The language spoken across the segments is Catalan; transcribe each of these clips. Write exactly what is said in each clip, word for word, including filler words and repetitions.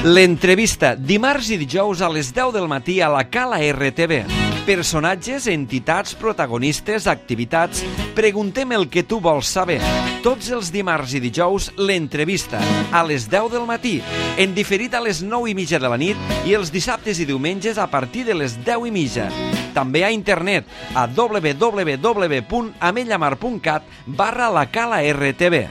L'entrevista, dimarts i dijous a les deu del matí a la Cala R T V. Personatges, entitats, protagonistes, activitats... Preguntem el que tu vols saber. Tots els dimarts i dijous, l'entrevista, a les deu del matí, en diferit a les nou i mitja de la nit i els dissabtes i diumenges a partir de les deu i mitja. També a internet, a w w w punt amellamar punt cat barra la Cala R T V.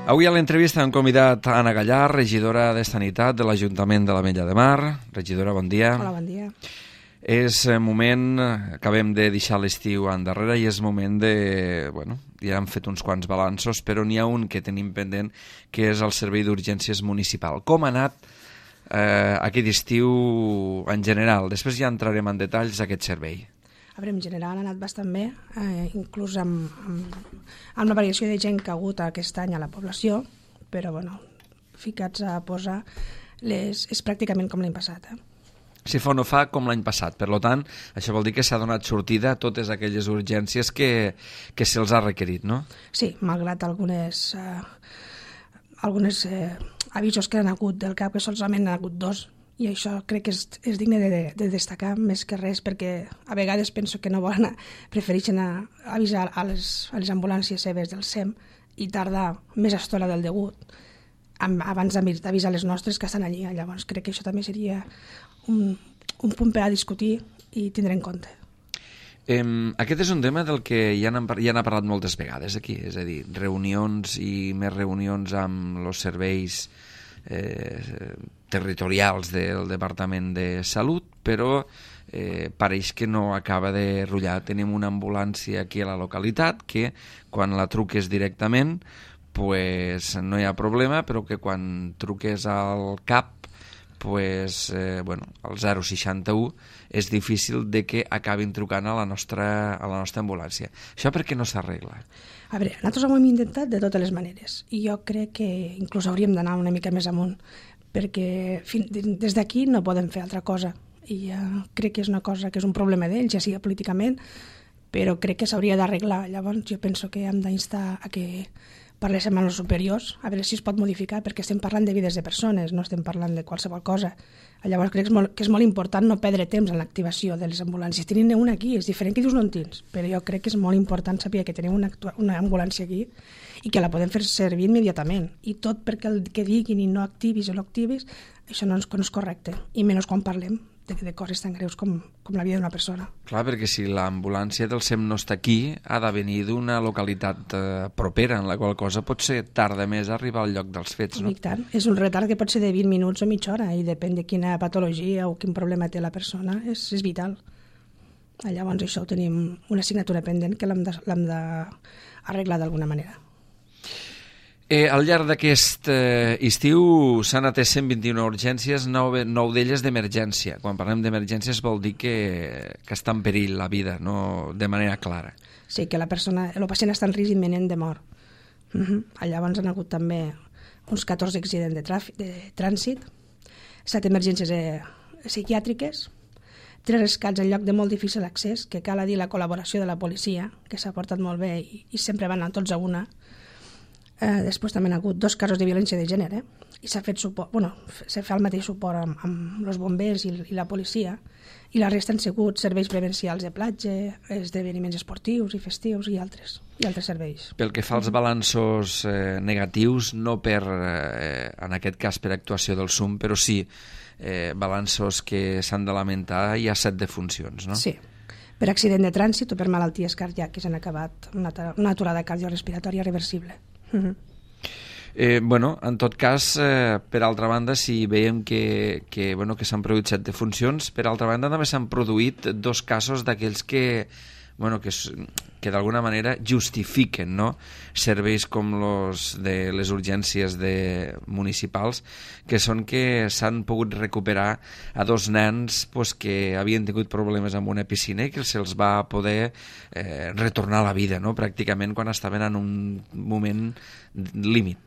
Avui a l'entrevista hem convidat Anna Gallar, regidora de Sanitat de l'Ajuntament de l'Ametlla de Mar. Regidora, bon dia. Hola, bon dia. És moment, acabem de deixar l'estiu endarrere i és moment de... Bueno, ja hem fet uns quants balanços, però n'hi ha un que tenim pendent, que és el Servei d'Urgències Municipal. Com ha anat eh, aquest estiu en general? Després ja entrarem en detalls d'aquest servei. A veure, en general ha anat bastant bé, eh, inclús amb, amb, amb la variació de gent que ha hagut aquest any a la població, però bueno, ficats a posar, les, és pràcticament com l'any passat. Eh? Si fa o no fa, com l'any passat. Per tant, això vol dir que s'ha donat sortida a totes aquelles urgències que, que se'ls ha requerit, no? Sí, malgrat algunes, eh, algunes eh, avisos que han hagut del cap, que solament han hagut dos, i això crec que és, és digne de, de destacar més que res, perquè a vegades penso que no volen, prefereixen a, avisar a les, a les ambulàncies seves del S E M i tardar més estona del degut abans d'avisar les nostres que estan allí. Llavors crec que això també seria un, un punt per a discutir i tindre en compte. Eh, aquest és un tema del que ja n'han ja n'ha parlat moltes vegades aquí, és a dir, reunions i més reunions amb els serveis eh, territorials del Departament de Salut, però eh, pareix que no acaba de rotllar. Tenim una ambulància aquí a la localitat que quan la truques directament pues no hi ha problema, però que quan truques al C A P, pues, eh, bueno, al zero seixanta-u, és difícil de que acabin trucant a la nostra, a la nostra ambulància. Això per què no s'arregla? A veure, nosaltres ho hem intentat de totes les maneres, i jo crec que inclús hauríem d'anar una mica més amunt, perquè fin, des d'aquí no podem fer altra cosa, i uh, crec que és una cosa que és un problema d'ells, ja sigui políticament, però crec que s'hauria d'arreglar. Llavors jo penso que hem d'instar a que parléssim amb els superiors, a veure si es pot modificar, perquè estem parlant de vides de persones, no estem parlant de qualsevol cosa. Llavors crec que és molt, que és molt important no perdre temps en l'activació de les ambulàncies. Tenim una aquí, és diferent que dius no en tens, però jo crec que és molt important saber que tenim una, una ambulància aquí i que la podem fer servir immediatament. I tot perquè el que diguin i no activis o no activis, això no és, no és correcte, i menys quan parlem de, de coses tan greus com, com la vida d'una persona. Clar, perquè si l'ambulància del S E M no està aquí, ha de venir d'una localitat eh, propera, en la qual cosa pot ser tarda més arribar al lloc dels fets, no? I tant. És un retard que pot ser de vint minuts o mitja hora, i depèn de quina patologia o quin problema té la persona, és, és vital. Llavors això ho tenim una assignatura pendent que l'hem d'arreglar d'alguna manera. Eh, al llarg d'aquest eh, estiu s'han atès cent vint-i-una urgències, nou, nou d'elles d'emergència. Quan parlem d'emergències vol dir que, que està en perill la vida, no de manera clara. Sí, que la persona, el pacient està en risc imminent de mort. Uh-huh. Llavors han hagut també uns catorze accidents de, tràfic, de trànsit, set emergències eh, psiquiàtriques, tres rescats en lloc de molt difícil accés, que cal dir la col·laboració de la policia, que s'ha portat molt bé i, i sempre van anar tots a una. Eh, després també han hagut dos casos de violència de gènere, i s'ha fet suport, bueno, s'ha fet el mateix suport amb, amb els bombers i, i la policia, i la resta han sigut serveis prevencials de platja, esdeveniments esportius i festius i altres, i altres serveis. Pel que fa als balanços eh, negatius, no per, eh, en aquest cas per actuació del S U M, però sí eh, balanços que s'han de lamentar, hi ha set defuncions, no? Sí. Per accident de trànsit o per malalties cardíaques han acabat una, una aturada cardiorrespiratòria reversible. Uh-huh. Eh, bueno, en tot cas, eh, per altra banda, si veiem que, que, bueno, que s'han produït set defuncions, per altra banda també s'han produït dos casos d'aquells que, bueno, que, que d'alguna manera justifiquen, no?, serveis com los de les urgències de municipals, que són que s'han pogut recuperar a dos nens pues, que havien tingut problemes amb una piscina i que se'ls va poder eh, retornar a la vida, no?, pràcticament quan estaven en un moment límit.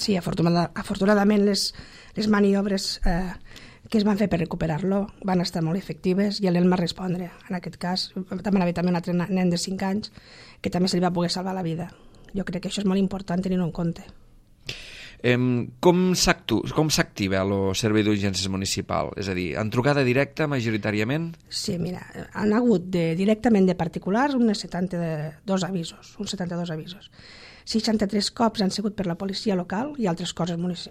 Sí, afortunada, afortunadament les, les maniobres eh, que es van fer per recuperar-lo van estar molt efectives i ell va respondre. En aquest cas, també havia també un altre nen de cinc anys que també se li va poder salvar la vida. Jo crec que això és molt important tenir-ho en compte. Eh, com s'activa el servei d'urgències municipal? És a dir, en trucada directa majoritàriament? Sí, mira, han hagut de, directament de particulars uns setanta-dos avisos, uns setanta-dos avisos. seixanta-tres cops han sigut per la policia local i altres coses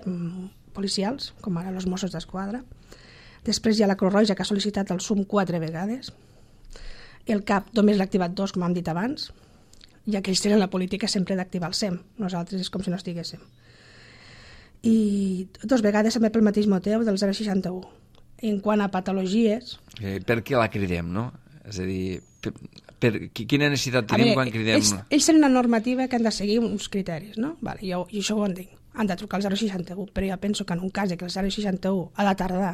policials, com ara els Mossos d'Esquadra. Després hi ha la Creu Roja, que ha sol·licitat el S U M quatre vegades. El C A P només l'ha activat dos, com hem dit abans, ja que ells tenen la política sempre d'activar el S E M. Nosaltres és com si no estiguéssim. I dues vegades també pel mateix motiu del zero seixanta-u. En quant a patologies... Eh, per què la cridem, no? És a dir, per, per, quina necessitat tenim veure, quan cridem? Ells, ells tenen una normativa que han de seguir uns criteris, no? Vale, jo, jo això ho entenc. Han de trucar al zero seixanta-u, però jo penso que en un cas que el zero seixanta-u ha de tardar,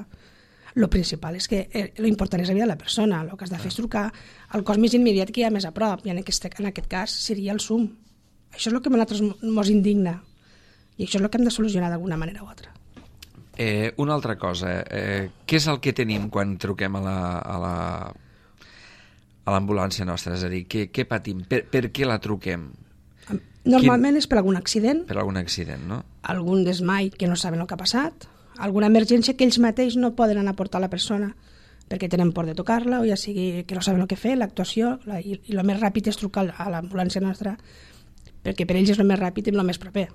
el principal és que l'important és la vida de la persona. El que has de fer és trucar al cos més immediat que hi ha més a prop, i en aquest, en aquest cas seria el S U M. Això és el que a nosaltres ens indigna. I això és el que hem de solucionar d'alguna manera o altra. Eh, una altra cosa, eh, què és el que tenim quan truquem a la, a la, a l'ambulància nostra? És a dir, què, què patim? Per, per què la truquem? Normalment Quin... és per algun accident. Per algun accident, no? Algun desmai que no saben el que ha passat, alguna emergència que ells mateix no poden anar a portar la persona perquè tenen por de tocar-la, o ja sigui que no saben el que fer, l'actuació, la, i, i el més ràpid és trucar a l'ambulància nostra, perquè per ells és el més ràpid i el més proper.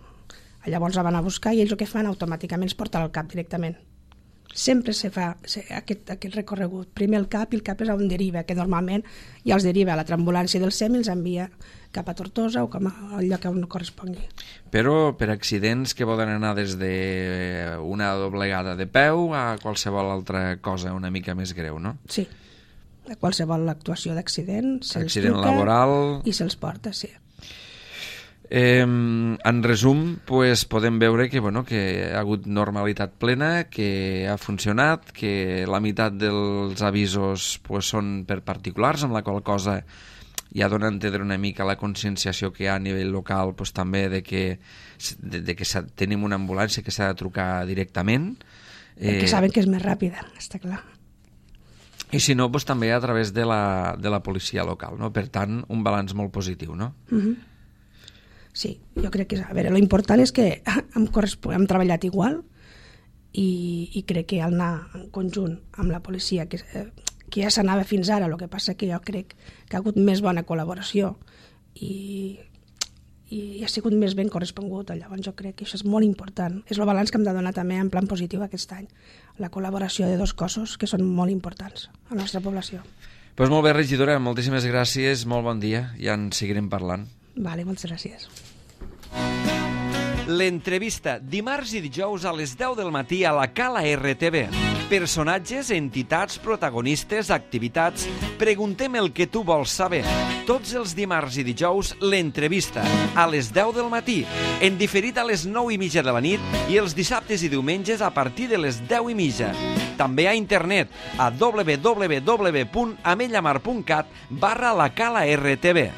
Llavors la van a buscar i ells el que fan automàticament és portar al C A P directament. Sempre se fa aquest, aquest recorregut. Primer el C A P i el C A P és on deriva, que normalment ja els deriva a l'altra ambulància del S E M i els envia cap a Tortosa o cap al lloc on correspongui. Però per accidents que poden anar des d'una doblegada de peu a qualsevol altra cosa una mica més greu, no? Sí. A qualsevol actuació d'accident se'ls accident truca laboral... i se'ls porta, sí. Eh, en resum, pues, podem veure que, bueno, que ha hagut normalitat plena, que ha funcionat, que la meitat dels avisos pues, són per particulars, amb la qual cosa ja dona a entendre una mica la conscienciació que hi ha a nivell local pues, també de que, de, de que tenim una ambulància que s'ha de trucar directament. Perquè eh... saben que és més ràpida, està clar. I si no, pues, també a través de la, de la policia local, no? Per tant, un balanç molt positiu, no? Mhm. Sí, jo crec que, a veure, l'important és que hem, hem treballat igual i, i crec que al anar en conjunt amb la policia, que, que ja s'anava fins ara, el que passa que jo crec que ha hagut més bona col·laboració i, i ha sigut més ben correspongut, llavors jo crec que això és molt important. És el balanç que hem de donar també en plan positiu aquest any, la col·laboració de dos cossos que són molt importants a la nostra població. Pues molt bé, regidora, moltíssimes gràcies, molt bon dia, ja en seguirem parlant. Vale, moltes gràcies. L'entrevista, dimarts i dijous a les deu del matí a la Cala R T V. Personatges, entitats, protagonistes, activitats... Preguntem el que tu vols saber. Tots els dimarts i dijous, l'entrevista, a les deu del matí, en diferit a les nou i mitja de la nit i els dissabtes i diumenges a partir de les deu i mitja. També a internet, a w w w punt amellamar punt cat barra la Cala R T V.